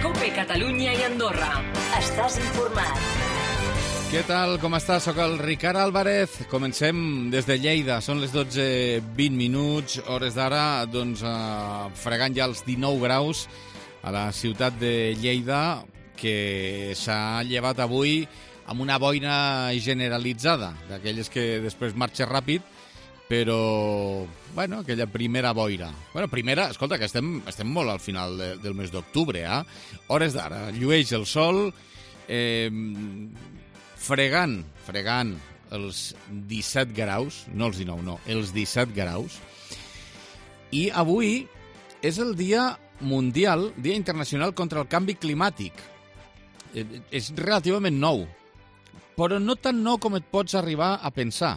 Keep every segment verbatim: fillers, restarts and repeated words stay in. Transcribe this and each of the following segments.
COPE Catalunya i Andorra. Estàs informat. Què tal? Com estàs? Soc el Ricard Álvarez. Comencem des de Lleida. Són les dotze vint minuts, hores d'ara, doncs, eh, fregant ja els dinou graus a la ciutat de Lleida, que s'ha llevat avui amb una boira generalitzada, d'aquelles que després marxa ràpid, però, bueno, aquella primera boira. Bueno, primera, escolta, que estem, estem molt al final de, del mes d'octubre, eh? Hores d'ara, llueix el sol, eh, fregant, fregant els disset graus, no els dinou, no, els disset graus. I avui és el Dia Mundial, Dia Internacional contra el Canvi Climàtic. Eh, és relativament nou, però no tan nou com et pots arribar a pensar.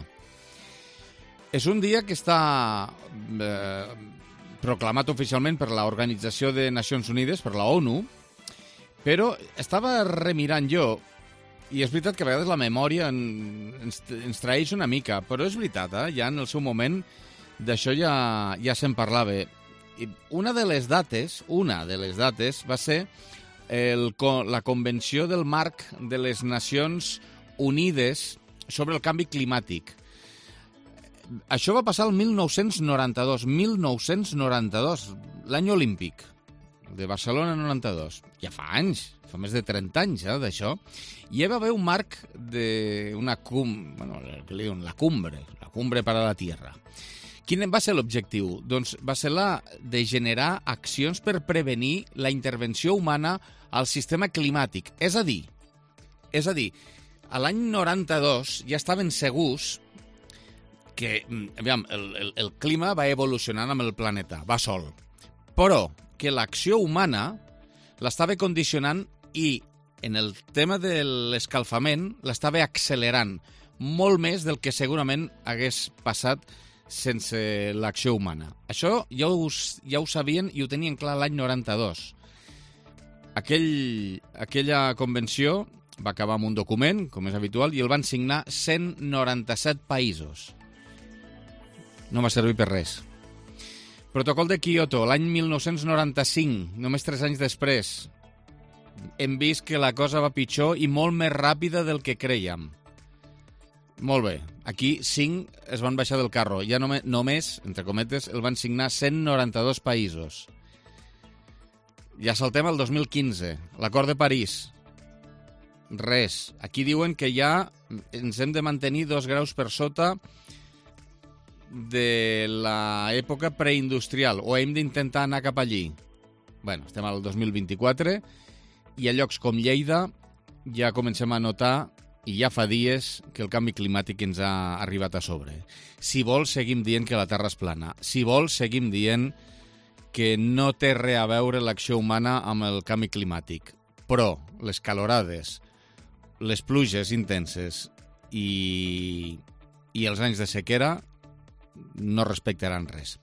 És un dia que està eh, proclamat oficialment per l'Organització de Nacions Unides, per la ONU, però estava remirant jo, i és veritat que a vegades la memòria ens, ens traeix una mica, però és veritat, eh? Ja en el seu moment d'això ja, ja se'n parlava. I una de les dates, una de les dates va ser el, la Convenció del Marc de les Nacions Unides sobre el canvi climàtic. Això va passar el mil nou-cents noranta-dos, mil nou-cents noranta-dos, l'any olímpic de Barcelona noranta-dos. Ja fa anys, fa més de trenta anys, eh, d'això. I hi va haver un marc de una cum, bueno, què li diuen, la cumbre, la cumbre per a la Tierra. Quin va ser l'objectiu? Doncs va ser la de generar accions per prevenir la intervenció humana al sistema climàtic. És a dir, és a dir, a l'any noranta-dos ja estaven segurs que aviam, el, el, el clima va evolucionant amb el planeta, va sol, però que l'acció humana l'estava condicionant i en el tema de l'escalfament l'estava accelerant molt més del que segurament hagués passat sense l'acció humana. Això ja ho, ja ho sabien i ho tenien clar l'any noranta-dos. Aquell, aquella convenció va acabar amb un document, com és habitual, i el van signar cent noranta-set països. No va servir per res. Protocol de Kyoto, l'any mil nou-cents noranta-cinc, només tres anys després. Hem vist que la cosa va pitjor i molt més ràpida del que crèiem. Molt bé. Aquí cinc es van baixar del carro. Ja només, només, entre cometes, el van signar cent noranta-dos països. Ja saltem al dos mil quinze, l'acord de París. Res. Aquí diuen que ja ens hem de mantenir dos graus per sota de l'època preindustrial, o hem d'intentar anar cap allí. Bueno, estem al dos mil vint-i-quatre i a llocs com Lleida ja comencem a notar, i ja fa dies, que el canvi climàtic ens ha arribat a sobre. Si vols, seguim dient que la Terra és plana. Si vols, seguim dient que no té res a veure l'acció humana amb el canvi climàtic. Però les calorades, les pluges intenses i, i els anys de sequera no respectaran res.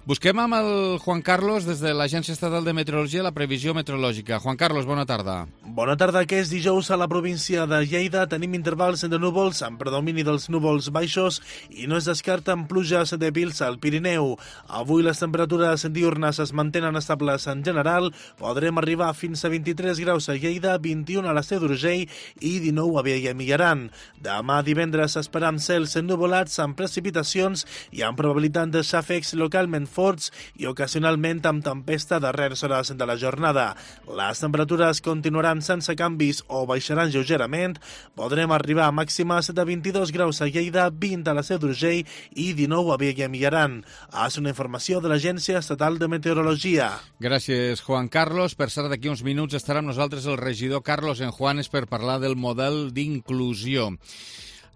Busquem amb el Juan Carlos des de l'Agència Estatal de Meteorologia la previsió meteorològica. Juan Carlos, bona tarda. Bona tarda, que és dijous a la província de Lleida. Tenim intervals de núvols amb predomini dels núvols baixos i no es descarten pluges dèbils al Pirineu. Avui les temperatures diurnes es mantenen estables en general. Podrem arribar fins a vint-i-tres graus a Lleida, vint-i-un a la Seu d'Urgell i dinou a Viella i Millaran. Demà divendres esperam cels ennuvolats amb precipitacions i amb probabilitat de xàfecs localment forts i ocasionalment amb tempesta a darreres hores de la jornada. Les temperatures continuaran sense canvis o baixaran lleugerament. Podrem arribar a màximes de vint-i-dos graus a Lleida, vint a la Seu d'Urgell i dinou a Viella i Millaran. És una informació de l'Agència Estatal de Meteorologia. Gràcies, Juan Carlos. Per cert, d'aquí uns minuts estarà amb nosaltres el regidor Carlos Enjuanes per parlar del model d'inclusió.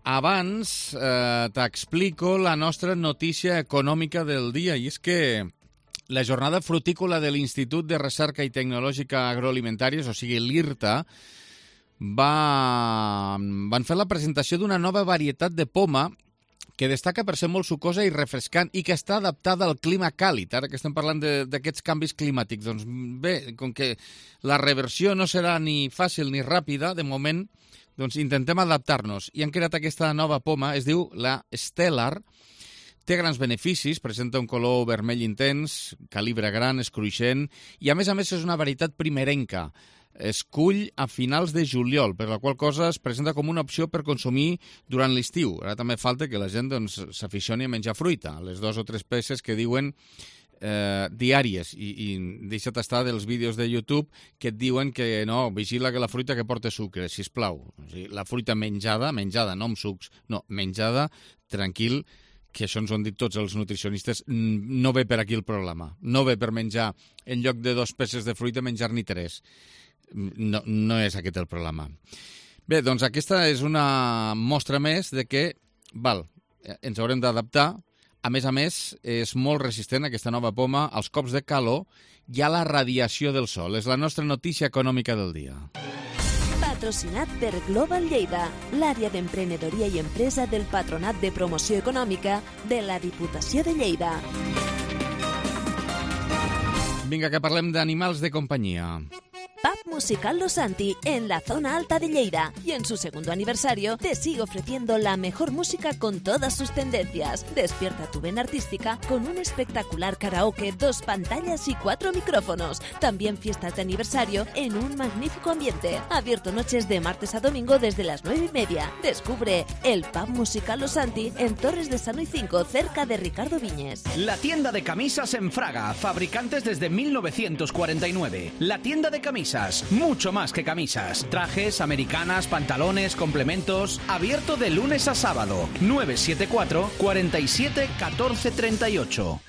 Abans eh, t'explico la nostra notícia econòmica del dia, i és que la jornada frutícola de l'Institut de Recerca i Tecnològica Agroalimentàries, o sigui l'IRTA, va... van fer la presentació d'una nova varietat de poma que destaca per ser molt sucosa i refrescant i que està adaptada al clima càlid. Ara que estem parlant d'aquests canvis climàtics, doncs bé, com que la reversió no serà ni fàcil ni ràpida, de moment, doncs intentem adaptar-nos. I han creat aquesta nova poma, es diu la Stellar, Té grans beneficis, presenta un color vermell intens, calibre gran, és cruixent, i a més a més és una varietat primerenca. Es cull a finals de juliol, per la qual cosa es presenta com una opció per consumir durant l'estiu. Ara també falta que la gent doncs, s'aficioni a menjar fruita, les dues o tres peces que diuen eh, diàries, i, i deixa't estar dels vídeos de YouTube que et diuen que no, vigila que la fruita que porta sucre, sisplau. O sigui, la fruita menjada, menjada, no amb sucs, no, menjada, tranquil, que això ens ho han dit tots els nutricionistes, no ve per aquí el problema. No ve per menjar, en lloc de dos peces de fruita, menjar-n'hi tres. No, no és aquest el problema. Bé, doncs aquesta és una mostra més de que, val, ens haurem d'adaptar. A més a més, és molt resistent aquesta nova poma als cops de calor i a la radiació del sol. És la nostra notícia econòmica del dia. Patrocinat per Global Lleida, l'àrea d'emprenedoria i empresa del Patronat de Promoció Econòmica de la Diputació de Lleida. Vinga, que parlem d'animals de companyia. Pub Musical Los Santi, en la zona alta de Lleida, y en su segundo aniversario te sigue ofreciendo la mejor música con todas sus tendencias. Despierta tu vena artística con un espectacular karaoke, dos pantallas y cuatro micrófonos. También fiestas de aniversario en un magnífico ambiente. Abierto noches de martes a domingo desde las nueve y media. Descubre el Pub Musical Los Santi en Torres de Sano y cinco, cerca de Ricardo Viñes. La tienda de camisas en Fraga, fabricantes desde mil novecientos cuarenta y nueve. La tienda de camisas. Mucho más que camisas. Trajes, americanas, pantalones, complementos. Abierto de lunes a sábado. nueve siete cuatro, cuarenta y siete, catorce treinta y ocho.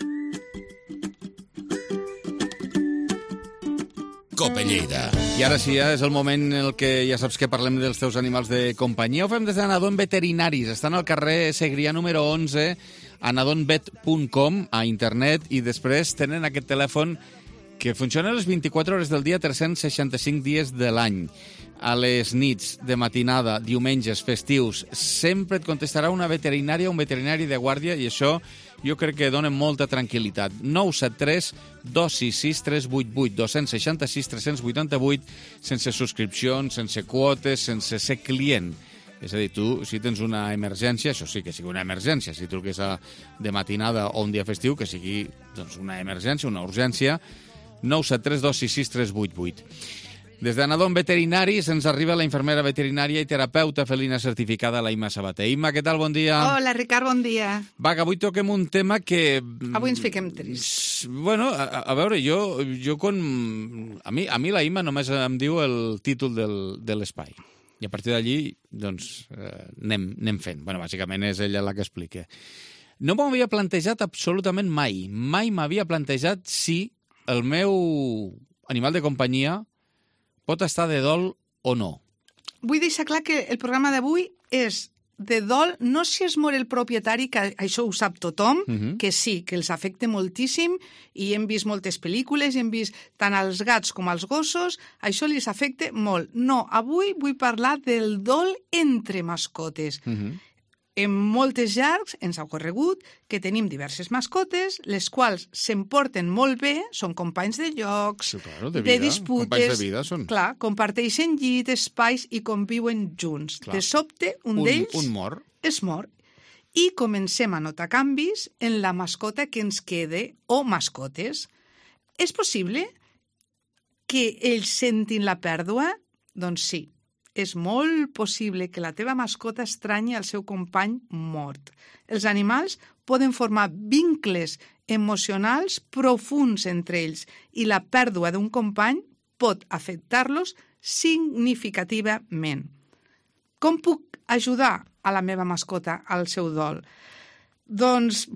Cope Lleida. I ara sí, ja és el moment en el que ja saps que parlem dels teus animals de companyia. Ho fem des d'Anadon Veterinaris. Estan al carrer Segrià número onze, anadon vet punt com, a internet, i després tenen aquest telèfon que funciona les vint-i-quatre hores del dia, tres cents seixanta-cinc dies de l'any. A les nits, de matinada, diumenges, festius, sempre et contestarà una veterinària o un veterinari de guàrdia, i això jo crec que dona molta tranquil·litat. nou set tres, dos sis sis, tres vuit vuit, dos sis sis, tres vuit vuit, sense subscripcions, sense quotes, sense ser client. És a dir, tu, si tens una emergència, això sí que sigui una emergència, si truques a, de matinada o un dia festiu, que sigui doncs, una emergència, una urgència, nou set tres, dos sis sis, tres vuit vuit. Des d'Anadon Veterinaris ens arriba la infermera veterinària i terapeuta felina certificada, la Imma Sabater. Imma, què tal? Bon dia. Hola, Ricard, bon dia. Va, que avui toquem un tema que... Avui ens fiquem trist. Bueno, a, a veure, jo, jo quan... A mi, a mi la Imma només em diu el títol del, de l'espai. I a partir d'allí, doncs, eh, anem, anem fent. Bueno, bàsicament és ella la que explica. No m'ho havia plantejat absolutament mai. Mai m'havia plantejat si el meu animal de companyia pot estar de dol o no. Vull deixar clar que el programa d'avui és de dol, no si es mor el propietari, que això ho sap tothom, uh -huh. que sí, que els afecta moltíssim, i hem vist moltes pel·lícules, hem vist tant als gats com als gossos, això els afecta molt. No, avui vull parlar del dol entre mascotes. Uh -huh. En moltes llars ens ha ocorregut que tenim diverses mascotes, les quals s'emporten molt bé, són companys de llocs, sí, claro, de, de vida. disputes, companys de vida són. Clar, comparteixen llit, espais i conviuen junts. Clar. De sobte, un, un d'ells un mor. es mor. I comencem a notar canvis en la mascota que ens quede o mascotes. És possible que ells sentin la pèrdua? Doncs sí. És molt possible que la teva mascota estranyi el seu company mort. Els animals poden formar vincles emocionals profuns entre ells i la pèrdua d'un company pot afectar-los significativament. Com puc ajudar a la meva mascota al seu dol? Doncs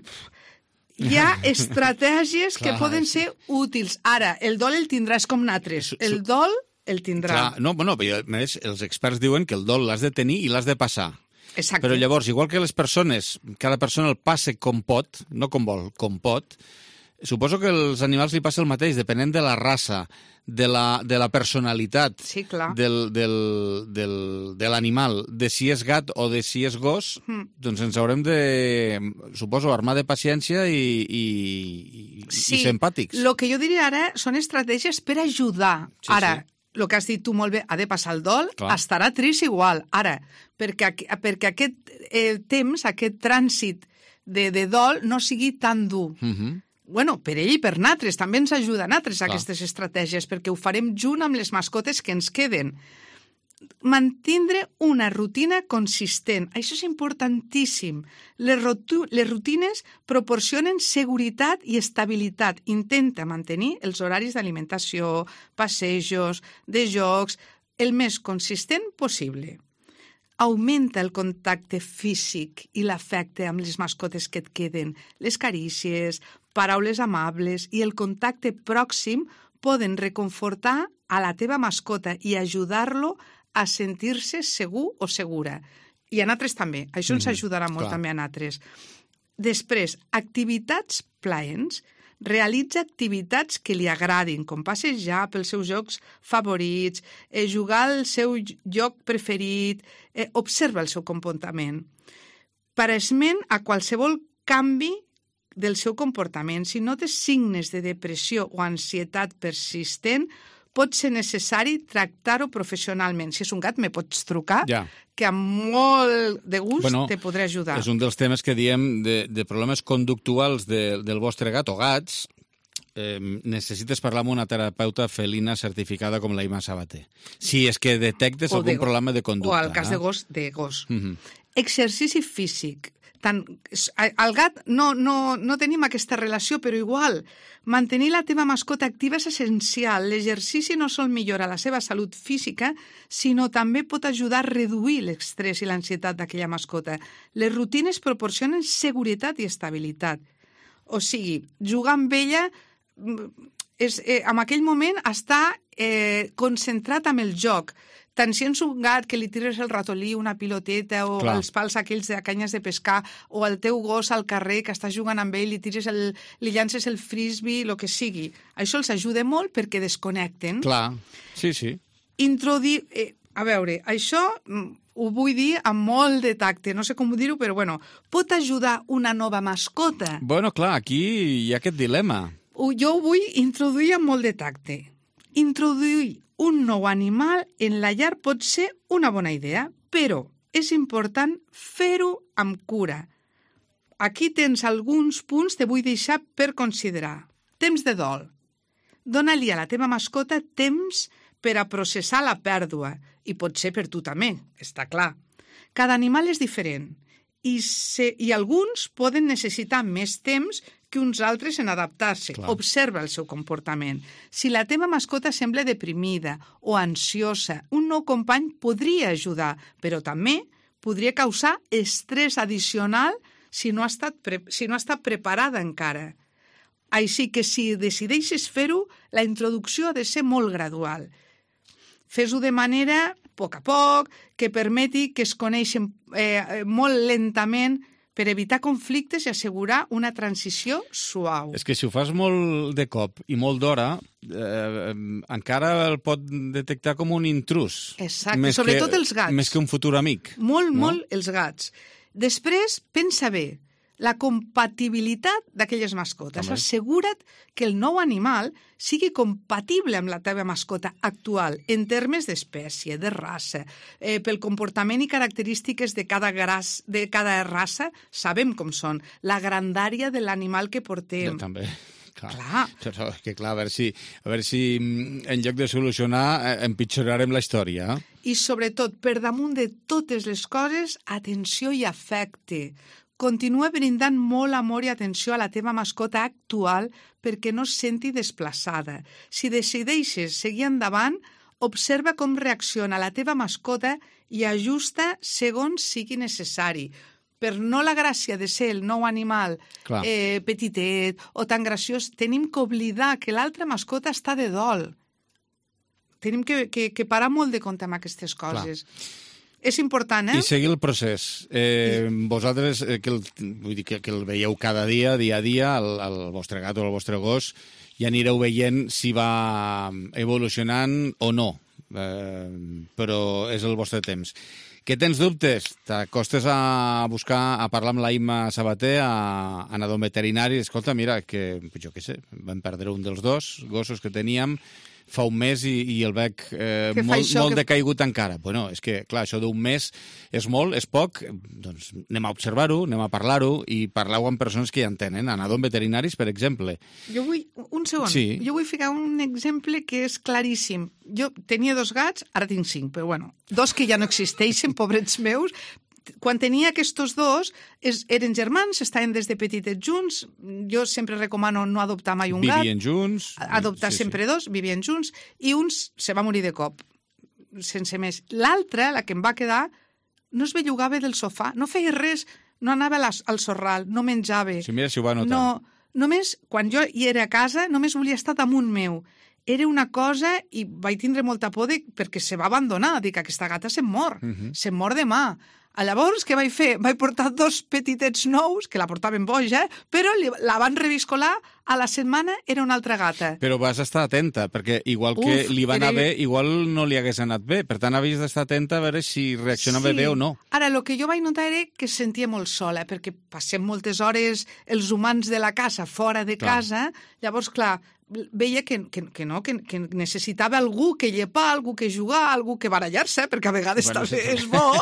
hi ha estratègies que poden ser útils. Ara, el dol el tindràs com natres. El dol el tindrà. Clar, no, bueno, més, els experts diuen que el dol l'has de tenir i l'has de passar. Exacte. Però llavors, igual que les persones, cada persona el passa com pot, no com vol, com pot, suposo que als animals li passa el mateix, depenent de la raça, de la, de la personalitat sí, clar. del, del, del, de l'animal, de si és gat o de si és gos, mm. doncs ens haurem de, suposo, armar de paciència i, i, sí. i ser empàtics. El que jo diria ara són estratègies per ajudar. Sí, ara, sí. El que has dit tu molt bé, ha de passar el dol, clar. Estarà trist igual. Ara, perquè, perquè aquest eh, temps, aquest trànsit de, de dol no sigui tan dur. Uh-huh. Bueno, per ell i per natres, també ens ajuda a natres Clar. aquestes estratègies, perquè ho farem junt amb les mascotes que ens queden. Mantindre una rutina consistent. Això és importantíssim. Les, rotu- les rutines proporcionen seguretat i estabilitat. Intenta mantenir els horaris d'alimentació, passejos, de jocs, el més consistent possible. Augmenta el contacte físic i l'afecte amb les mascotes que et queden. Les carícies, paraules amables i el contacte pròxim poden reconfortar a la teva mascota i ajudar-lo a sentir-se segur o segura. I a nosaltres també. Això ens ajudarà molt clar. també a nosaltres. Després, activitats plaents. Realitza activitats que li agradin, com passejar pels seus jocs favorits, eh, jugar al seu lloc preferit, eh, observa el seu comportament. Paresment a qualsevol canvi del seu comportament. Si notes signes de depressió o ansietat persistent, pot ser necessari tractar-ho professionalment. Si és un gat, me pots trucar, Ja. que amb molt de gust Bueno, te podré ajudar. És un dels temes que diem de, de problemes conductuals de, del vostre gat o gats. Eh, necessites parlar amb una terapeuta felina certificada com la Ima Sabater. Si és que detectes O algun de- problema de conducta. O al cas eh? de gos, de gos. Mhm. Exercici físic. Tant, al gat no, no, no tenim aquesta relació, però igual, mantenir la teva mascota activa és essencial. L'exercici no sol millorar la seva salut física, sinó també pot ajudar a reduir l'estrès i l'ansietat d'aquella mascota. Les rutines proporcionen seguretat i estabilitat. O sigui, jugar amb ella és, eh, en aquell moment està eh, concentrat amb el joc. Tant si ets un gat que li tires el ratolí, una piloteta, o Clar. els pals aquells de canyes de pescar, o el teu gos al carrer que està jugant amb ell, li tires el, li llances el frisbee, el que sigui. Això els ajuda molt perquè desconnecten. Clar, sí, sí. Introduir... Eh, a veure, això mm, ho vull dir amb molt de tacte, no sé com dir-ho, però bueno, pot ajudar una nova mascota. Bueno, clar, aquí hi ha aquest dilema. Ho- Jo ho vull introduir amb molt de tacte. Introduir un nou animal en la llar pot ser una bona idea, però és important fer-ho amb cura. Aquí tens alguns punts que vull deixar per considerar. Temps de dol. Dóna-li a la teva mascota temps per a processar la pèrdua, i pot ser per tu també, està clar. Cada animal és diferent, i, se, i alguns poden necessitar més temps que uns altres en adaptar-se. Clar. Observa el seu comportament. Si la teva mascota sembla deprimida o ansiosa, un nou company podria ajudar, però també podria causar estrès addicional si no ha estat, pre si no ha estat preparada encara. Així que si decideixes fer-ho, la introducció ha de ser molt gradual. Fes-ho de manera, a poc a poc, que permeti que es coneixen eh, molt lentament per evitar conflictes i assegurar una transició suau. És que si ho fas molt de cop i molt d'hora, eh, encara el pot detectar com un intrus. Exacte, Més sobretot que, els gats. Més que un futur amic. Molt, no? molt els gats. Després, pensa bé, la compatibilitat d'aquelles mascotes. També. Assegura't que el nou animal sigui compatible amb la teva mascota actual en termes d'espècie, de raça, eh, pel comportament i característiques de cada, gras, de cada raça, sabem com són, la grandària de l'animal que portem. Ja, també. Clar. Clar. Però, que clar, a veure si, a veure si mm, en lloc de solucionar eh, empitjorarem la història. I sobretot, per damunt de totes les coses, atenció i afecte. Continua brindant molt amor i atenció a la teva mascota actual perquè no es senti desplaçada. Si decideixes seguir endavant, observa com reacciona la teva mascota i ajusta segons sigui necessari. Per no la gràcia de ser el nou animal eh, petitet o tan graciós, tenim que oblidar que l'altra mascota està de dol. Tenim que, que, que parar molt de compte amb aquestes coses. Clar. És important, eh? I seguir el procés. Eh, I... Vosaltres, eh, que, el, vull dir que, que el veieu cada dia, dia a dia, el, el vostre gat o el vostre gos, ja anireu veient si va evolucionant o no. Eh, però és el vostre temps. Que tens dubtes? T'acostes a buscar, a parlar amb la Ima Sabater, a, a anar d'un veterinari. Escolta, mira, que jo què sé, vam perdre un dels dos gossos que teníem, fa un mes i, i el veig eh, Que fa molt, això molt que- decaigut encara. Bueno, és que, clar, això d'un mes és molt, és poc, doncs anem a observar-ho, anem a parlar-ho i parlar-ho amb persones que ja entenen. Aneu amb veterinaris, per exemple. Jo vull, un segon, Sí. jo vull ficar un exemple que és claríssim. Jo tenia dos gats, ara tinc cinc, però bueno, dos que ja no existeixen, pobrets meus. Quan tenia aquests dos, es, eren germans, estaven des de petitets junts. Jo sempre recomano no adoptar mai un gat. Vivien junts. Adoptar Sí, sí. sempre dos, vivien junts, i un se va morir de cop, sense més. L'altre, la que em va quedar, no es bellugava del sofà, no feia res, no anava a la, al sorral, no menjava. Sí, mira si ho va notar. No, només, quan jo hi era a casa, només volia estar damunt meu. Era una cosa, i vaig tindre molta por de, perquè se va abandonar. Dic, aquesta gata se'm mor, uh -huh. se'm mor demà. A llavors, què vaig fer? Vaig portar dos petitets nous, que la portaven boja, però li, la van reviscolar, a la setmana era una altra gata. Però vas estar atenta, perquè igual que Uf, li va anar era- bé, igual no li hagués anat bé. Per tant, havies d'estar atenta a veure si reaccionava bé o no. Ara, el que jo vaig notar era que es sentia molt sola, perquè passem moltes hores els humans de la casa fora de Clar. casa, llavors, clar, veia que, que, que no, que, que necessitava algú que llepar, algú que jugar, algú que barallar-se, perquè a vegades Bueno, també sí, és bo.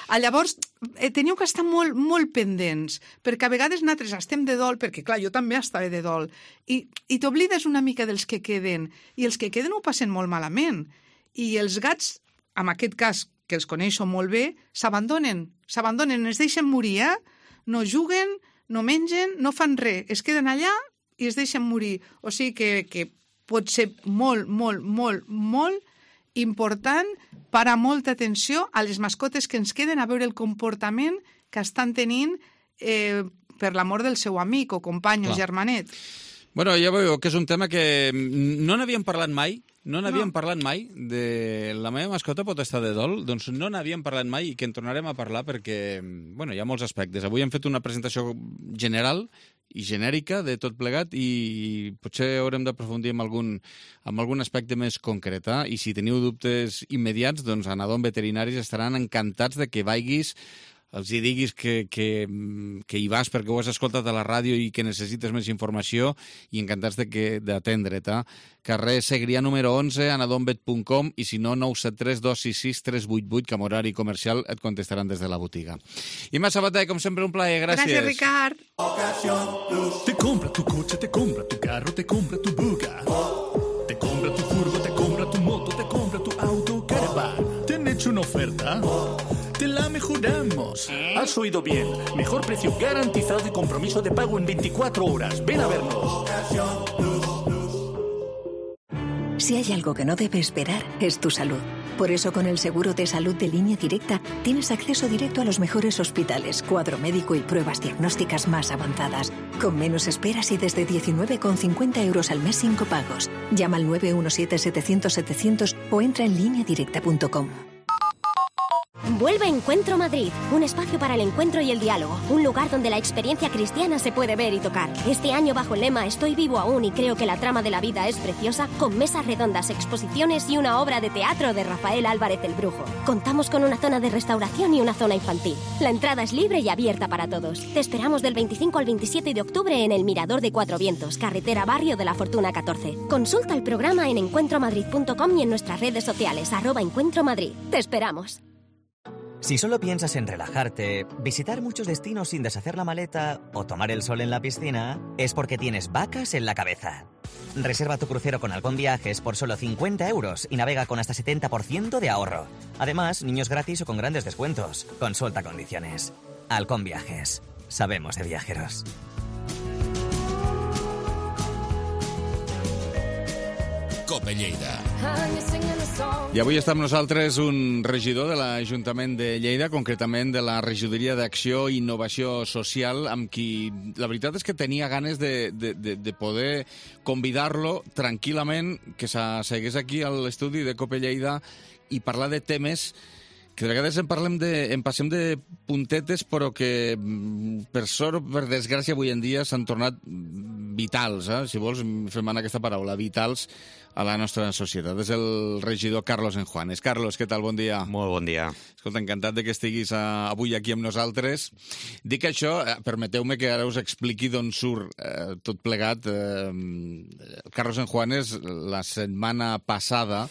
A llavors, eh, teniu que estar molt, molt pendents, perquè a vegades nosaltres estem de dol, perquè, clar, jo també estava de dol, i, i t'oblides una mica dels que queden, i els que queden ho passen molt malament. I els gats, en aquest cas, que els coneixo molt bé, s'abandonen, s'abandonen, es deixen morir, eh? No juguen, no mengen, no fan res, es queden allà i es deixen morir. O sigui que, que pot ser molt, molt, molt, molt important parar molta atenció a les mascotes que ens queden, a veure el comportament que estan tenint eh, per l'amor del seu amic o company o Clar. germanet. Bueno, ja veieu que és un tema que no n'havíem parlat mai, no n'havíem No. parlat mai de la meva mascota pot estar de dol, doncs no n'havíem parlat mai i que en tornarem a parlar perquè, bueno, hi ha molts aspectes. Avui hem fet una presentació general i genèrica de tot plegat i potser haurem d'aprofundir en algun, en algun aspecte més concret. Eh? I si teniu dubtes immediats, doncs a Nadon Veterinaris estaran encantats de que vagis, els hi diguis que, que, que hi vas perquè ho has escoltat a la ràdio i que necessites més informació i encantats de que d'atendre't. Carrer Segrià número onze, a nadonvet punt com i si no, nou set tres dos sis sis tres vuit vuit, que amb horari comercial et contestaran des de la botiga. Imma Sabater, com sempre, un plaer. Gràcies. Gràcies, Ricard. Te compra tu coche, te compra tu carro, te compra tu buga. Te compra tu furgo, te compra tu moto, te compra tu auto, caravan. ¿Te han hecho una oferta? Te la mejoramos. Has oído bien. Mejor precio garantizado y compromiso de pago en veinticuatro horas. Ven a vernos. Si hay algo que no debe esperar, es tu salud. Por eso, con el seguro de salud de Línea Directa, tienes acceso directo a los mejores hospitales, cuadro médico y pruebas diagnósticas más avanzadas, con menos esperas y desde diecinueve con cincuenta euros al mes sin copagos. Llama al nueve uno siete setecientos setecientos o entra en línea directa punto com. Vuelve Encuentro Madrid, un espacio para el encuentro y el diálogo, un lugar donde la experiencia cristiana se puede ver y tocar. Este año bajo el lema Estoy vivo aún y creo que la trama de la vida es preciosa, con mesas redondas, exposiciones y una obra de teatro de Rafael Álvarez el Brujo. Contamos con una zona de restauración y una zona infantil. La entrada es libre y abierta para todos. Te esperamos del veinticinco al veintisiete de octubre en el Mirador de Cuatro Vientos, carretera Barrio de la Fortuna catorce. Consulta el programa en encuentro madrid punto com y en nuestras redes sociales, arroba Encuentro Madrid. Te esperamos. Si solo piensas en relajarte, visitar muchos destinos sin deshacer la maleta o tomar el sol en la piscina, es porque tienes vacas en la cabeza. Reserva tu crucero con Halcón Viajes por solo cincuenta euros y navega con hasta setenta por ciento de ahorro. Además, niños gratis o con grandes descuentos. Consulta condiciones. Halcón Viajes. Sabemos de viajeros. Cope Lleida. I avui està amb nosaltres un regidor de l'Ajuntament de Lleida, concretament de la Regidoria d'Acció i Innovació Social, amb qui la veritat és que tenia ganes de, de, de, de poder convidar-lo tranquil·lament, que s'assegués aquí a l'estudi de Cope Lleida i parlar de temes que de vegades en parlem de, en passem de puntetes, però que per sort o per desgràcia avui en dia s'han tornat vitals, eh? Si vols fem anar aquesta paraula, vitals a la nostra societat. És el regidor Carlos Enjuanes. Carlos, què tal? Bon dia. Molt bon dia. Escolta, encantat de que estiguis uh, avui aquí amb nosaltres. Dic això, eh, permeteu-me que ara us expliqui d'on surt eh, tot plegat. Eh, Carlos Enjuanes, la setmana passada,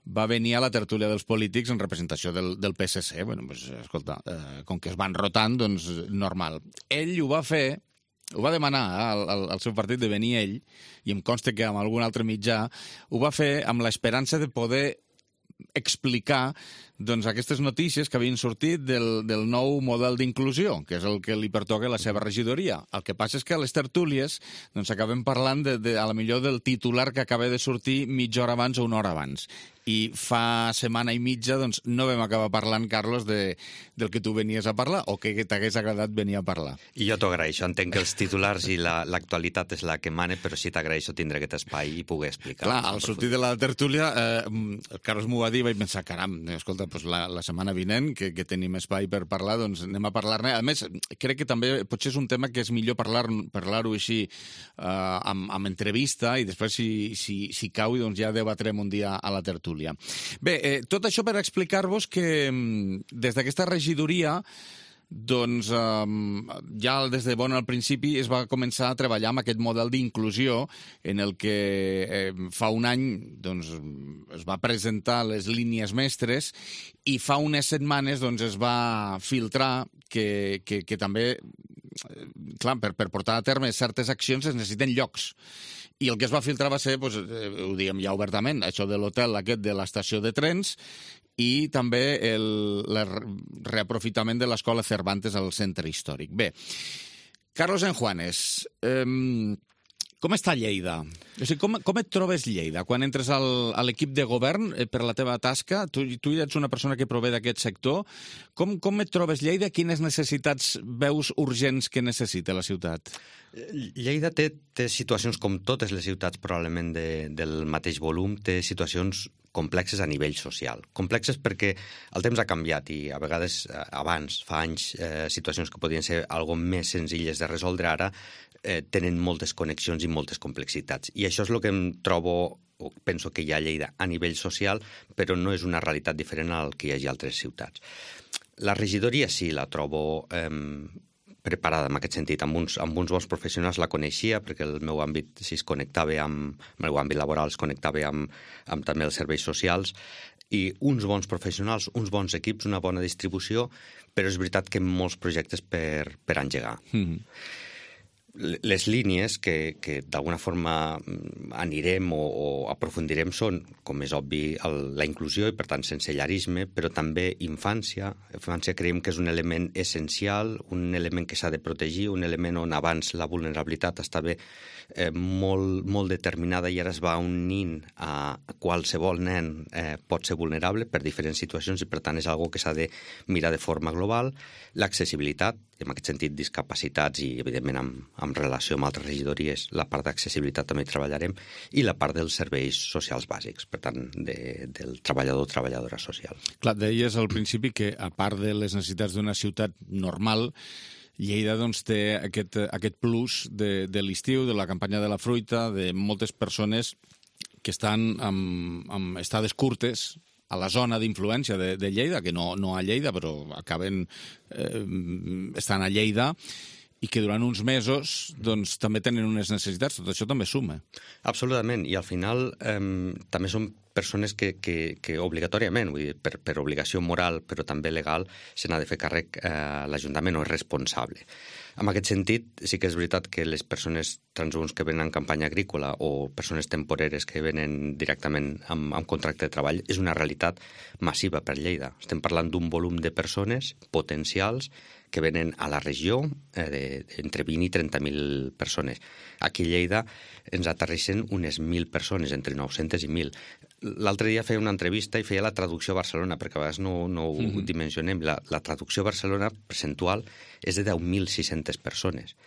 va venir a la tertúlia dels polítics en representació del, del P S C. Bueno, pues, escolta, eh, com que es van rotant, doncs normal. Ell ho va fer, ho va demanar eh, al, al seu partit de venir ell, i em consta que amb algun altre mitjà, ho va fer amb l'esperança de poder explicar doncs, aquestes notícies que havien sortit del, del nou model d'inclusió, que és el que li pertoca a la seva regidoria. El que passa és que a les tertúlies doncs, acabem parlant de, de, a la millor del titular que acaba de sortir mitja hora abans o una hora abans. I fa setmana i mitja doncs, no vam acabar parlant, Carlos, de, del que tu venies a parlar o que t'hagués agradat venir a parlar. I jo t'ho agraeixo. Entenc que els titulars i l'actualitat la, és la que mane, però sí t'agraeixo tindre aquest espai i poder explicar. Clar, al sortir de la tertúlia, eh, el Carlos m'ho va dir i vaig pensar, caram, escolta, doncs la, la setmana vinent, que, que tenim espai per parlar, doncs anem a parlar-ne. A més, crec que també potser és un tema que és millor parlar-ho parlar així eh, amb, amb entrevista i després, si, si, si cau, doncs ja debatrem un dia a la tertúlia. Bé, eh, tot això per explicar-vos que des d'aquesta regidoria doncs eh, ja des de bon al principi es va començar a treballar amb aquest model d'inclusió en el que eh, fa un any doncs, es va presentar les línies mestres i fa unes setmanes doncs, es va filtrar que, que, que també, clar, per, per portar a terme certes accions es necessiten llocs. I el que es va filtrar va ser, doncs, ho diem ja obertament, això de l'hotel aquest de l'estació de trens i també el, el reaprofitament de l'escola Cervantes al centre històric. Bé, Carlos Enjuanes, eh, com està Lleida? O sigui, com, com et trobes Lleida? Quan entres al, a l'equip de govern eh, per la teva tasca, tu, tu ets una persona que prové d'aquest sector, com, com et trobes Lleida? Quines necessitats veus urgents que necessita la ciutat? Lleida té, té situacions com totes les ciutats probablement de, del mateix volum, té situacions complexes a nivell social. Complexes perquè el temps ha canviat i a vegades abans, fa anys, eh, situacions que podien ser algo més senzilles de resoldre ara eh, tenen moltes connexions i moltes complexitats. I això és el que em trobo o penso que hi ha a Lleida a nivell social, però no és una realitat diferent al que hi hagi a altres ciutats. La regidoria sí la trobo eh, preparada en aquest sentit. Amb uns, amb uns bons professionals la coneixia perquè el meu àmbit si es connectava amb, el meu àmbit laboral es connectava amb, amb també els serveis socials i uns bons professionals, uns bons equips, una bona distribució, però és veritat que molts projectes per, per engegar. Mm-hmm. Les línies que, que d'alguna forma anirem o, o aprofundirem són, com és obvi, el, la inclusió i, per tant, sensellarisme, però també infància. Infància creiem que és un element essencial, un element que s'ha de protegir, un element on abans la vulnerabilitat estava eh, molt, molt determinada i ara es va unint a qualsevol nen eh, pot ser vulnerable per diferents situacions i, per tant, és algo que s'ha de mirar de forma global. L'accessibilitat, en aquest sentit, discapacitats i, evidentment, amb, amb relació amb altres regidories, la part d'accessibilitat també treballarem, i la part dels serveis socials bàsics, per tant, de, del treballador o treballadora social. Clar, deies al principi que, a part de les necessitats d'una ciutat normal, Lleida doncs, té aquest, aquest plus de, de l'estiu, de la campanya de la fruita, de moltes persones que estan amb, amb estades curtes a la zona d'influència de, de Lleida, que no, no a Lleida, però acaben eh, estan a Lleida, i que durant uns mesos doncs, també tenen unes necessitats. Tot això també suma. Absolutament, i al final eh, també són persones que, que, que obligatòriament, vull dir, per, per obligació moral, però també legal, se n'ha de fer càrrec eh, l'Ajuntament o és responsable. En aquest sentit, sí que és veritat que les persones transhumants que venen en campanya agrícola o persones temporeres que venen directament amb, amb contracte de treball és una realitat massiva per Lleida. Estem parlant d'un volum de persones potencials que venen a la regió eh, de, entre vint i trenta mil persones. Aquí a Lleida ens aterreixen unes mil persones, entre nou-centes i mil. L'altre dia feia una entrevista i feia la traducció a Barcelona, perquè a vegades no, no ho mm-hmm. dimensionem. La, la traducció a Barcelona percentual és de deu mil sis-centes persones.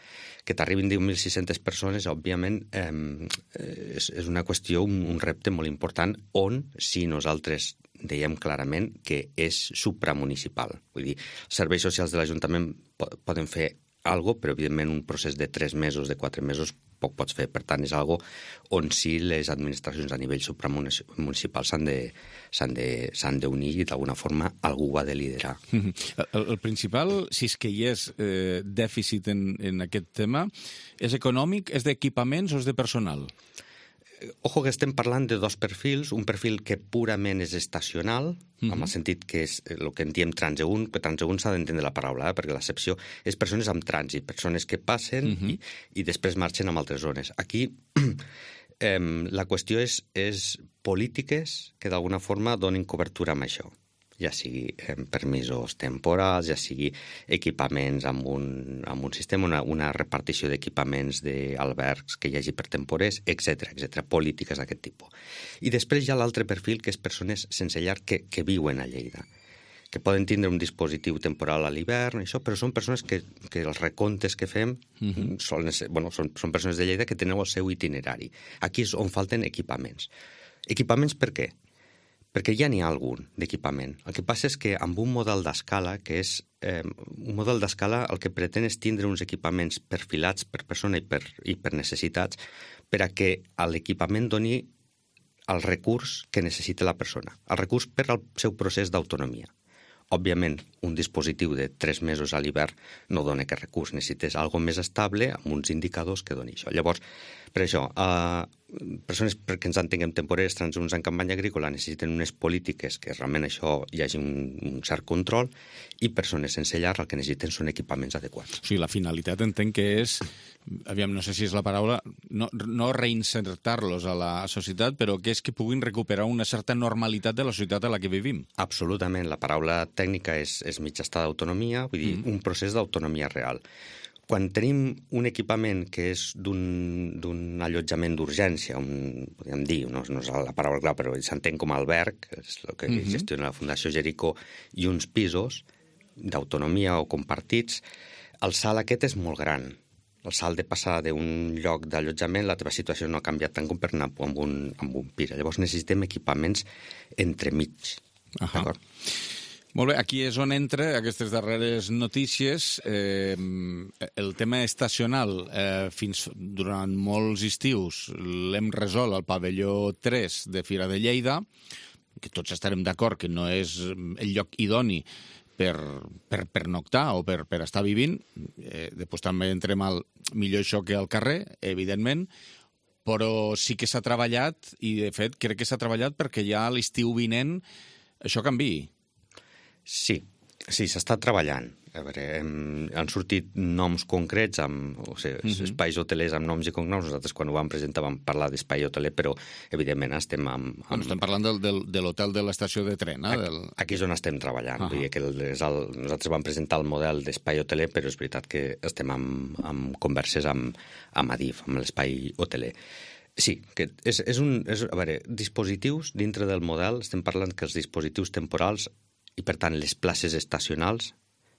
Que t'arribin deu mil sis-centes persones, òbviament, eh, és, és una qüestió, un, un repte molt important, on, si nosaltres dèiem clarament que és supramunicipal. Vull dir, els serveis socials de l'Ajuntament poden fer algo, però evidentment un procés de tres mesos, de quatre mesos, poc pots fer. Per tant, és algo on sí les administracions a nivell supramunicipal s'han de, s'han de, s'han d'unir i d'alguna forma algú ho ha de liderar. El, el principal, si és que hi és eh, dèficit en, en aquest tema, és econòmic, és d'equipaments o és de personal? Ojo que estem parlant de dos perfils, un perfil que purament és estacional, mm-hmm. en el sentit que és el que en diem transeünt, que transeünt s'ha d'entendre la paraula, eh? Perquè l'accepció és persones amb trànsit, persones que passen mm-hmm. i, i després marxen a altres zones. Aquí eh, la qüestió és, és polítiques que d'alguna forma donin cobertura amb això, ja sigui eh, permisos temporals, ja sigui equipaments amb un, amb un sistema, una, una repartició d'equipaments d'albergs que hi hagi per temporers, etcètera, etcètera, polítiques d'aquest tipus. I després hi ha l'altre perfil, que és persones sense llar que, que viuen a Lleida, que poden tindre un dispositiu temporal a l'hivern, això, però són persones que, que els recomptes que fem mm-hmm. són, bueno, són, són persones de Lleida que tenen el seu itinerari. Aquí és on falten equipaments. Equipaments per què? Perquè ja n'hi ha algun d'equipament. El que passa és que amb un model d'escala, que és eh, un model d'escala, el que pretén és tindre uns equipaments perfilats per persona i per, i per necessitats per a que l'equipament doni el recurs que necessita la persona, el recurs per al seu procés d'autonomia. Òbviament, un dispositiu de tres mesos a l'hivern no dona aquest recurs, necessites algo més estable amb uns indicadors que doni això. Llavors, per això, eh, persones perquè ens entenguem temporers, transeünts en campanya agrícola necessiten unes polítiques que realment això hi hagi un, un cert control, i persones sense llar el que necessiten són equipaments adequats. O sigui, la finalitat entenc que és, aviam, no sé si és la paraula, no, no reinsertar-los a la societat, però que és que puguin recuperar una certa normalitat de la societat a la que vivim. Absolutament. La paraula tècnica és, és mig estar d'autonomia, vull dir, mm. un procés d'autonomia real. Quan tenim un equipament que és d'un allotjament d'urgència, un, podríem dir, no, no és la paraula clau, però s'entén com a alberg, és el que mm-hmm. gestiona la Fundació Jericó, i uns pisos d'autonomia o compartits, el salt aquest és molt gran. El salt de passar d'un lloc d'allotjament, la teva situació no ha canviat tant com per anar amb un, amb un pis. Llavors necessitem equipaments entremig. Ahà. D'acord? Molt bé, aquí és on entra aquestes darreres notícies. Eh, el tema estacional, eh, fins durant molts estius l'hem resolt al pavelló tres de Fira de Lleida, que tots estarem d'acord que no és el lloc idoni per, per, per noctar o per, per estar vivint. Eh, després també entrem al millor això que al carrer, evidentment, però sí que s'ha treballat, i de fet crec que s'ha treballat perquè ja a l'estiu vinent això canviï. Sí, sí, s'està treballant. A veure, hem, han sortit noms concrets, amb, o sigui, mm-hmm. espais hotelers amb noms i cognoms. Nosaltres, quan ho vam presentar, vam parlar d'espai hoteler, però, evidentment, estem amb... amb... Bueno, estem parlant del, del, de l'hotel de l'estació de tren, eh? Del... Aquí és on estem treballant. Uh-huh. Vull dir que és el, nosaltres vam presentar el model d'espai hoteler, però és veritat que estem amb, amb converses amb, amb Adif, amb l'espai hoteler. Sí, que és, és un... És, a veure, dispositius dintre del model, estem parlant que els dispositius temporals i, per tant, les places estacionals,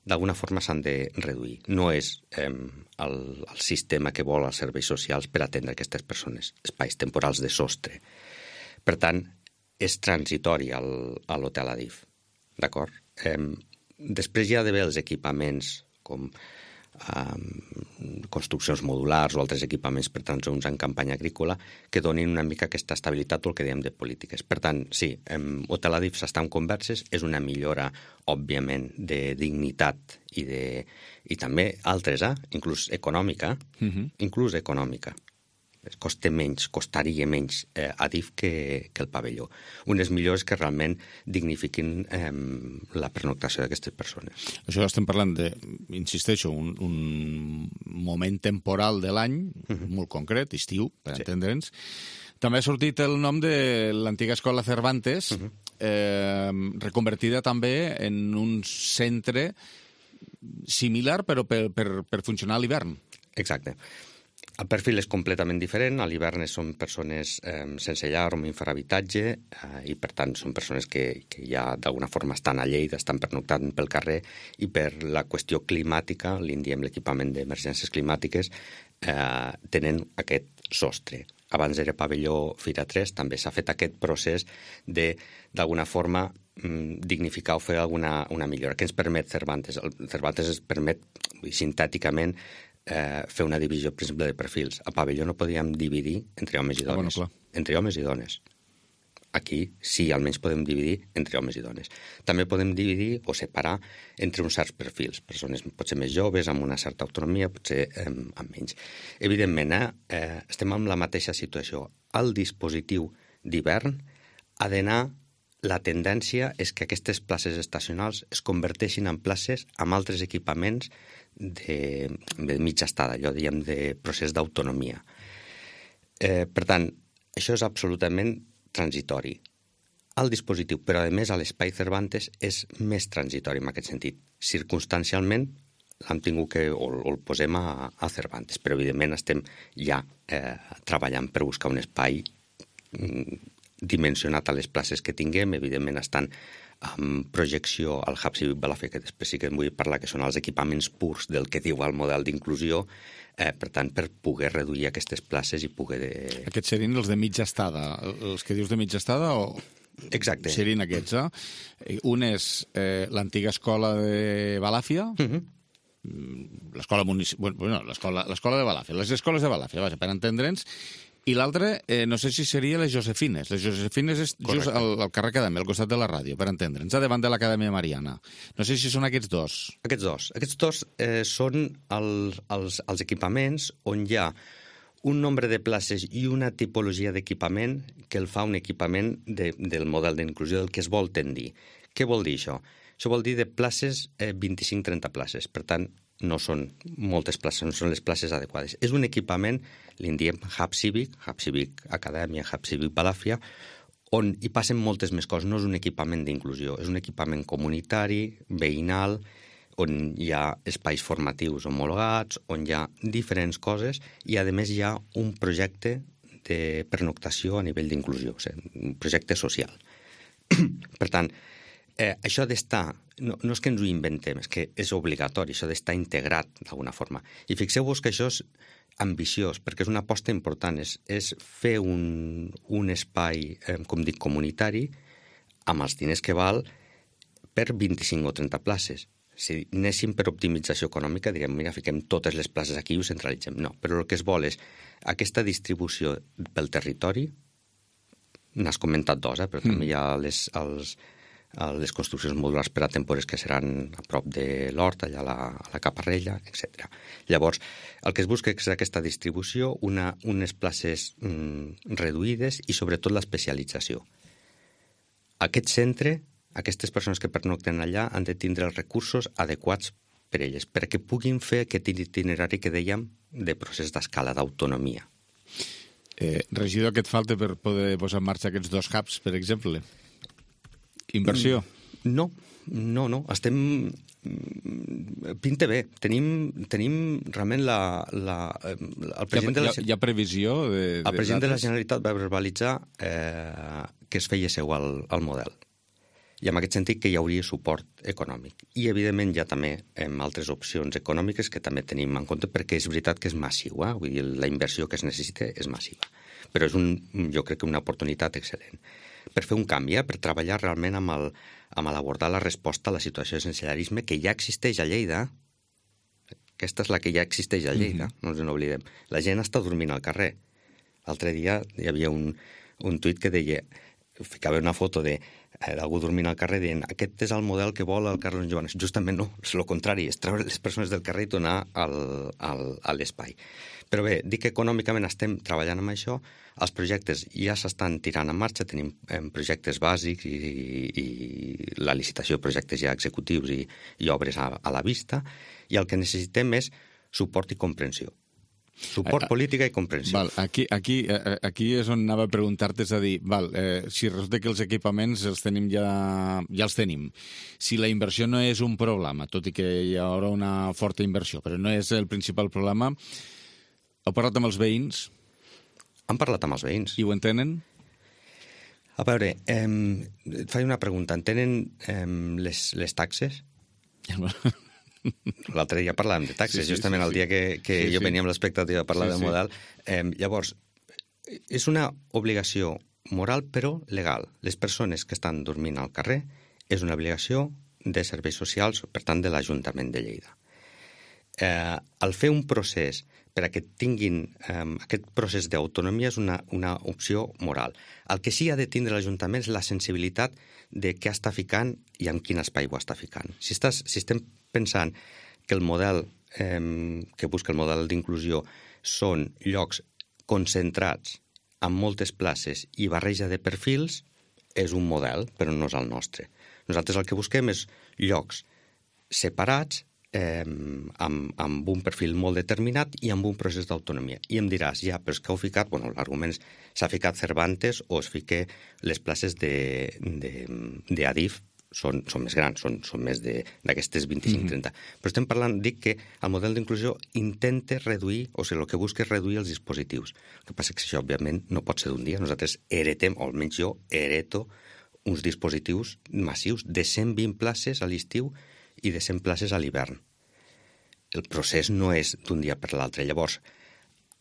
d'alguna forma s'han de reduir. No és eh, el, el sistema que vol els serveis socials per atendre aquestes persones, espais temporals de sostre. Per tant, és transitori al, a l'hotel Adif, d'acord? Eh, després hi ha d'haver els equipaments com eh, construccions modulars o altres equipaments per transeünts en campanya agrícola que donin una mica aquesta estabilitat o el que dèiem de polítiques. Per tant, sí, em, Hotel Adif s'està en converses, és una millora, òbviament, de dignitat i, de, i també altres, eh? inclús econòmica, uh-huh. inclús econòmica. Costa menys, costaria menys eh, Adif que, que el pavelló. Unes millores que realment dignifiquin eh, la pernoctació d'aquestes persones. Això estem parlant de, insisteixo, un, un moment temporal de l'any, uh-huh. molt concret, estiu, per sí. entendre'ns. També ha sortit el nom de l'antiga escola Cervantes, uh-huh. eh, reconvertida també en un centre similar, però per, per, per funcionar a l'hivern. Exacte. El perfil és completament diferent. A l'hivern són persones eh, sense llar o amb infrahabitatge eh, i, per tant, són persones que, que ja d'alguna forma estan a Lleida, estan pernoctant pel carrer i per la qüestió climàtica, l'I N D I E M, l'equipament d'emergències climàtiques, eh, tenen aquest sostre. abans era pavelló Fira tres, també s'ha fet aquest procés de, d'alguna forma, dignificar o fer alguna una millora. Què ens permet Cervantes? El Cervantes es permet, sintèticament, eh, fer una divisió, per exemple, de perfils. A pavelló no podíem dividir entre homes i dones. Ah, bueno, entre homes i dones. Aquí sí, almenys podem dividir entre homes i dones. També podem dividir o separar entre uns certs perfils. Persones potser més joves, amb una certa autonomia, potser eh, amb menys. Evidentment, eh, eh, estem en la mateixa situació. El dispositiu d'hivern ha d'anar... La tendència és que aquestes places estacionals es converteixin en places amb altres equipaments de, de mitja estada, allò diguem de procés d'autonomia. Eh, per tant, això és absolutament transitori. El dispositiu, però a més a l'Espai Cervantes, és més transitori en aquest sentit. Circumstancialment l'hem tingut que, o, o el posem a, a Cervantes, però evidentment estem ja eh, treballant per buscar un espai mm, dimensionat a les places que tinguem, evidentment estan amb projecció al Hub Cívic Balàfia, que després sí que en vull parlar, que són els equipaments purs del que diu el model d'inclusió, eh, per tant, per poder reduir aquestes places i poder... De... Aquests serien els de mitja estada, els que dius de mitja estada o... Exacte. Serien aquests, eh? Un és eh, l'antiga escola de Balàfia, uh-huh. l'escola municipal... Bueno, l'escola de Balàfia, les escoles de Balàfia, vaja, per entendre'ns. I l'altre, eh, no sé si seria les Josefines. Les Josefines és Correcte. Just al, al carrer Acadèmia, al costat de la ràdio, per entendre'ns, davant de l'Acadèmia Mariana. No sé si són aquests dos. Aquests dos. Aquests dos eh, són el, els, els equipaments on hi ha un nombre de places i una tipologia d'equipament que el fa un equipament de, del model d'inclusió del que es vol tendir. Què vol dir això? Això vol dir de places, eh, vint-i-cinc a trenta places. Per tant, no són moltes places, no són les places adequades. És un equipament, li en diem Hub Cívic, Hub Cívic Acadèmia, Hub Cívic Balàfia, on hi passen moltes més coses. No és un equipament d'inclusió, és un equipament comunitari, veïnal, on hi ha espais formatius homologats, on hi ha diferents coses i, a més, hi ha un projecte de pernoctació a nivell d'inclusió, o sigui, un projecte social. Per tant, Eh, això d'estar, no, no és que ens ho inventem, és que és obligatori, això d'estar integrat d'alguna forma. I fixeu-vos que això és ambiciós, perquè és una aposta important, és, és fer un, un espai, eh, com dic, comunitari, amb els diners que val, per vint-i-cinc o trenta places. Si anéssim per optimització econòmica, direm, mira, fiquem totes les places aquí i ho centralitzem. No, però el que es vol és aquesta distribució pel territori, n'has comentat dos, eh, però mm. també hi ha les... Els, les construccions modulars per a temporers que seran a prop de l'hort, allà a la, a la Caparrella, etcètera. Llavors, el que es busca és aquesta distribució, una, unes places mm, reduïdes i sobretot l'especialització. Aquest centre, aquestes persones que pernocten allà han de tindre els recursos adequats per elles, perquè puguin fer aquest itinerari que dèiem de procés d'escala, d'autonomia. Eh, regidor, què et falta per poder posar en marxa aquests dos hubs, per exemple? Inversió? No, no, no. Estem... Pinta bé. Tenim, tenim realment la... la el president hi, ha, de la... hi ha previsió de... El president de, de la Generalitat va verbalitzar eh, que es feia seu al, al model. I en aquest sentit que hi hauria suport econòmic. I, evidentment, hi ha també eh, altres opcions econòmiques que també tenim en compte perquè és veritat que és massiu, eh? Vull dir, la inversió que es necessita és massiva. Però és, un, jo crec que una oportunitat excel·lent per fer un canvi, eh? Per treballar realment amb, el, amb l'abordar la resposta a la situació de sensellarisme que ja existeix a Lleida. Aquesta és la que ja existeix a Lleida, mm-hmm. no ens n'oblidem. La gent està dormint al carrer. L'altre dia hi havia un, un tuit que deia, ficava una foto de d'algú dormint al carrer dient aquest és el model que vol el Carlos Joanes. Justament no, és el contrari, és treure les persones del carrer i donar al, al, a l'espai. Però bé, dic que econòmicament estem treballant amb això, els projectes ja s'estan tirant en marxa, tenim eh, projectes bàsics i, i, i la licitació de projectes ja executius i, i obres a, a la vista, i el que necessitem és suport i comprensió. Suport, política i comprensió. Val, aquí, aquí, aquí és on anava a preguntar-te, és a dir, val, eh, si resulta que els equipaments els tenim ja, ja els tenim. Si la inversió no és un problema, tot i que hi haurà una forta inversió, però no és el principal problema, heu parlat amb els veïns? Han parlat amb els veïns. I ho entenen? A veure, eh, et faig una pregunta. Entenen eh, les, les taxes? L'altre dia parlàvem de taxes, sí, sí, justament sí, sí. El dia que, que sí, jo venia amb l'expectativa de parlar sí, del model. Sí. Eh, llavors, és una obligació moral però legal. Les persones que estan dormint al carrer és una obligació de serveis socials, per tant, de l'Ajuntament de Lleida. Eh, al fer un procés per a que tinguin eh, aquest procés d'autonomia és una, una opció moral. El que sí ha de tindre l'Ajuntament és la sensibilitat de què està ficant i en quin espai ho està ficant. Si, estàs, si estem pensant que el model eh, que busca el model d'inclusió són llocs concentrats amb moltes places i barreja de perfils, és un model, però no és el nostre. Nosaltres el que busquem és llocs separats, eh, amb, amb un perfil molt determinat i amb un procés d'autonomia. I em diràs, ja, però és que heu ficat, bueno, l'argument s'ha ficat Cervantes o es fique les places d'Adif, són, són més grans, són, són més d'aquestes vint-i-cinc trenta. Mm-hmm. Però estem parlant, dic que el model d'inclusió intenta reduir, o sigui, el que busca és reduir els dispositius. El que passa és que això, òbviament, no pot ser d'un dia. Nosaltres heretem, o almenys jo hereto, uns dispositius massius de cent vint places a l'estiu i de cent places a l'hivern. El procés no és d'un dia per l'altre. Llavors,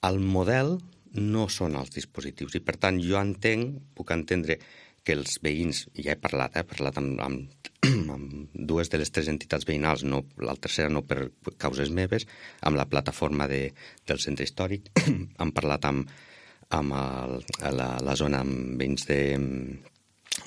el model no són els dispositius i, per tant, jo entenc, puc entendre que els veïns, ja he parlat, eh, he parlat amb, amb, amb dues de les tres entitats veïnals, no, la tercera no per causes meves, amb la plataforma de, del centre històric, hem parlat amb, amb el, la, la zona amb veïns de,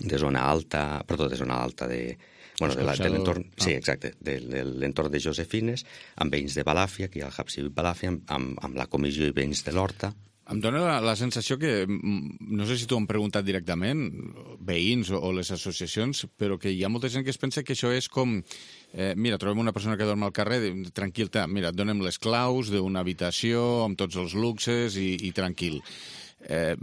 de zona alta, perdó, de zona alta de, bueno, de, la, de l'entorn, ah. sí, exacte, de, de l'entorn de Josefines, amb veïns de Balàfia, aquí al Hub Civil Balàfia, amb, amb la comissió i veïns de l'Horta. Em dóna la, la sensació que, no sé si t'ho han preguntat directament, veïns o, o les associacions, però que hi ha molta gent que es pensa que això és com, eh, mira, trobem una persona que dorm al carrer, tranquil, mira, et donem les claus d'una habitació amb tots els luxes i, i tranquil. Eh,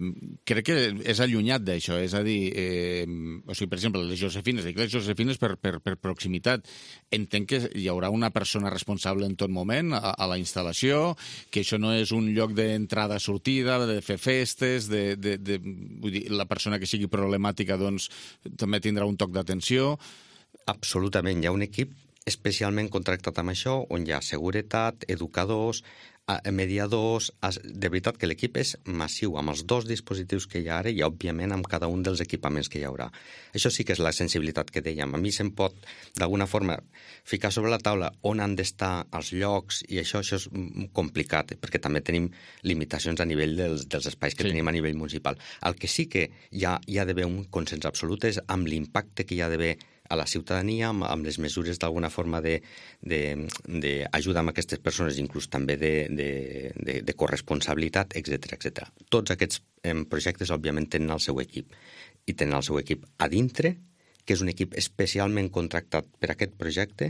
crec que és allunyat d'això, és a dir, eh, o sigui, per exemple, les Josefines, dic les Josefines per, per, per proximitat. Entenc que hi haurà una persona responsable en tot moment a, a la instal·lació, que això no és un lloc d'entrada-sortida, de fer festes, de, de, de, vull dir, la persona que sigui problemàtica doncs també tindrà un toc d'atenció. Absolutament, hi ha un equip especialment contractat amb això, on hi ha seguretat, educadors, mediadors. De veritat que l'equip és massiu, amb els dos dispositius que hi ha ara i, òbviament, amb cada un dels equipaments que hi haurà. Això sí que és la sensibilitat que dèiem. A mi se'm pot, d'alguna forma, ficar sobre la taula on han d'estar els llocs i això, això és complicat, perquè també tenim limitacions a nivell dels, dels espais que sí. tenim a nivell municipal. El que sí que hi ha, hi ha d'haver un consens absolut és amb l'impacte que hi ha d'haver a la ciutadania, amb, amb les mesures d'alguna forma d'ajudar amb aquestes persones, inclús també de, de, de, de corresponsabilitat, etcètera, etcètera. Tots aquests eh, projectes, òbviament, tenen el seu equip. I tenen el seu equip a dintre, que és un equip especialment contractat per aquest projecte,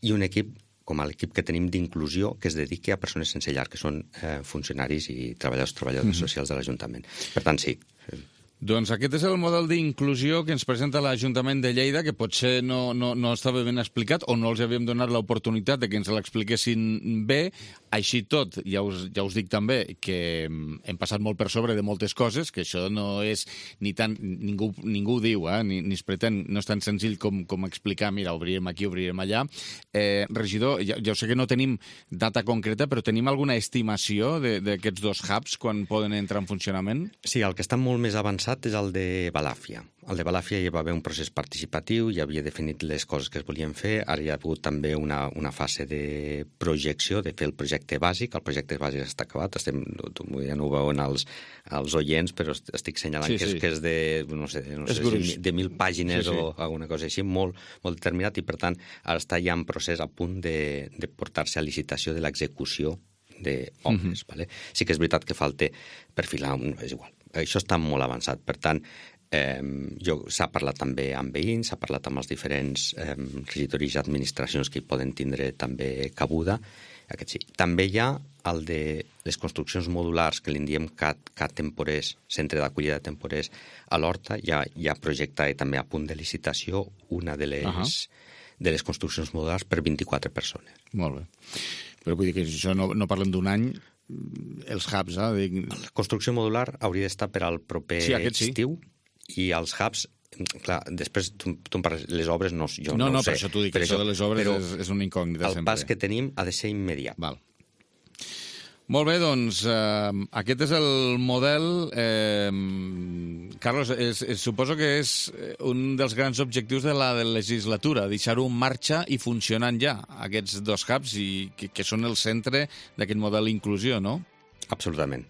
i un equip com l'equip que tenim d'inclusió que es dediqui a persones sense llar, que són eh, funcionaris i treballadors, treballadores mm-hmm. socials de l'Ajuntament. Per tant, sí. Doncs aquest és el model d'inclusió que ens presenta l'Ajuntament de Lleida, que potser no, no, no estava ben explicat o no els havíem donat l'oportunitat de que ens l'expliquessin bé. Així tot, ja us, ja us dic també que hem passat molt per sobre de moltes coses, que això no és ni tan... Ningú, ningú ho diu, eh? ni, ni es pretén, no és tan senzill com, com explicar, mira, obrirem aquí, obrirem allà. Eh, regidor, ja, ja sé que no tenim data concreta, però tenim alguna estimació d'aquests dos hubs quan poden entrar en funcionament? Sí, el que està molt més avançat és el de Balàfia. El de Balàfia hi va haver un procés participatiu, ja havia definit les coses que es volien fer, ara hi ha hagut també una, una fase de projecció, de fer el projecte bàsic. El projecte bàsic està acabat, estem, ja no ho veuen els, els oients, però estic senyalant sí, que, és, sí. que és de, no sé, no sé si de mil pàgines sí, sí. o alguna cosa així, molt, molt determinat, i per tant ara està ja en procés a punt de, de portar-se a licitació de l'execució d'obres. Mm-hmm. Vale? Sí que és veritat que falta perfilar, no és igual. Això està molt avançat. Per tant, eh, s'ha parlat també amb veïns, s'ha parlat amb els diferents eh, regidoris i administracions que hi poden tindre també cabuda. Aquest sí. També hi ha el de les construccions modulars, que li diem C A T, C A T temporers, centre d'acollida de temporers, a l'Horta. Hi ha, hi ha projectat i també a punt de licitació una de les, uh-huh. de les construccions modulars per vint-i-quatre persones. Molt bé. Però vull dir que això no, no parlem d'un any, els hubs, eh? Dic... La construcció modular hauria d'estar per al proper sí, estiu, sí. I els hubs, clar, després tu, tu em parles, les obres no, jo no, no, no ho sé. No, per això t'ho dic, això de les obres és, és una incògnita el sempre. El pas que tenim ha de ser immediat. Val. Molt bé, doncs eh, aquest és el model. Eh, Carlos, és, és, suposo que és un dels grans objectius de la, de la legislatura, deixar-ho en marxa i funcionant ja, aquests dos hubs, i que, que són el centre d'aquest model d'inclusió, no? Absolutament.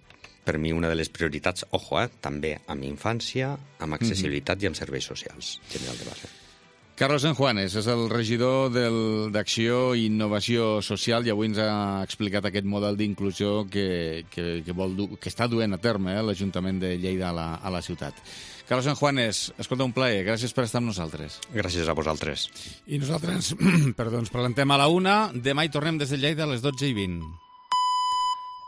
Per mi una de les prioritats, ojo, eh, també amb infància, amb accessibilitat mm-hmm. i amb serveis socials, general de base. Carlos Enjuanes és el regidor d'Acció i Innovació Social i avui ens ha explicat aquest model d'inclusió que, que, que, vol du que està duent a terme eh, l'Ajuntament de Lleida a la, a la ciutat. Carlos Enjuanes, escolta, un plaer. Gràcies per estar amb nosaltres. Gràcies a vosaltres. I nosaltres, perdó, ens presentem a la una. Demà hi tornem des de Lleida a les dotze i vint.